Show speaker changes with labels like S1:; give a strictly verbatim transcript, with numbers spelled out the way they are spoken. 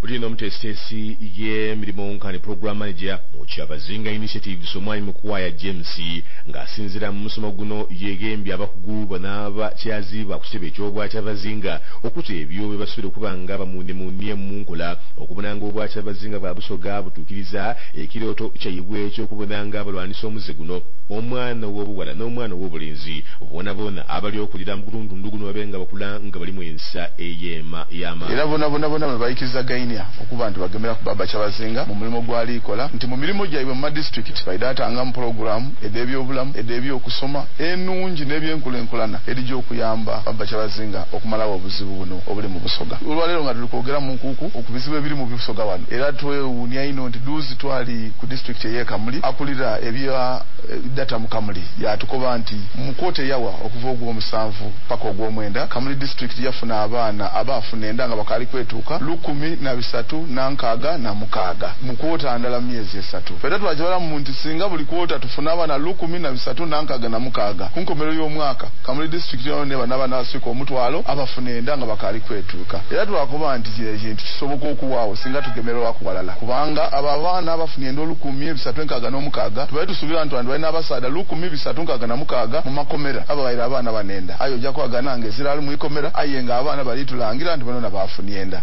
S1: Uli n'omuteesiteesi y'emirimu nkani program manager mu Kyabazinga Initiatives, Omwami Mukwaya James, ng'asinziira mu musomo guno, yeegembye abakugu banaabakyaziibwa ku kitebe eky'Obwakyabazinga okuta ebyo bye basobola okuba nga bamunemunye mu nkola okubona nga Obwakyabazinga bwa Busoga butuukiriza ekirooto kyaibwe eky'okubona nga balwanisa omuze guno. Omwana ow'obuwala n'omwana ow'obulenzi boona boona abali okulira mu gutundu guno babe nga bakula nga bali mu ensa ey'ema y'amaanyi.
S2: Era bona bona bona bwe bayikirizagainya okuba nti bagemera ku baba Kyabazinga mu mulimu gw'alikola, nti mu mirimu gyaibwe mu madisitulikiti baidaatanga mu pulogulaamu ed'ebyobulamu, ed'ebyokusoma enungi n'ebyenkulenkulana edijja okuyamba baba Kyabazinga okumalawo obuzibu buno obuli mu Busoga. Olwaleero nga tuli kwogera mu nkuuku ku bizibu ebiri mu Busoga wano, era twewuunya ino nti duuzi twali ku disitulikiti ey'e Kamuli, akulira ebya data mu Kamuli yatukoba nti mu kwota eyawa okuva ogw'omusanvu paka ogw'omwenda, Kamuli disitulikiti yafuna abaana abaafuna enda nga bakaali kwetuuka lukumi na bisatu na nkaaga na mukaaga mu kwota ndala mu myezi esatu. Ffe twakibalamu nti singa buli kwota tufuna abaana lukumi na bisatu na nkaaga na mukaaga, ku nkomerero y'omwaka Kamuli disitulikiti yona neba n'abaana abaswika omutwalo abafuna enda nga bakaali kwetuuka. Era twakoba nti kino ekintu kisoboka okuwaawo singa tugemerwaku walala, kubanga abo abaana abafuna enda olukumi ebisatu enkaaga n'omukaaga tubaire tusuubira nti bantu balina abasaadha lukumi bisatu nkaaga na mukaaga mu makomera ababaire abaana banenda, aye ojja kwagana nga ezira ali mu ikomera, aye nga abaana balitulangira nti banona bafunye enda.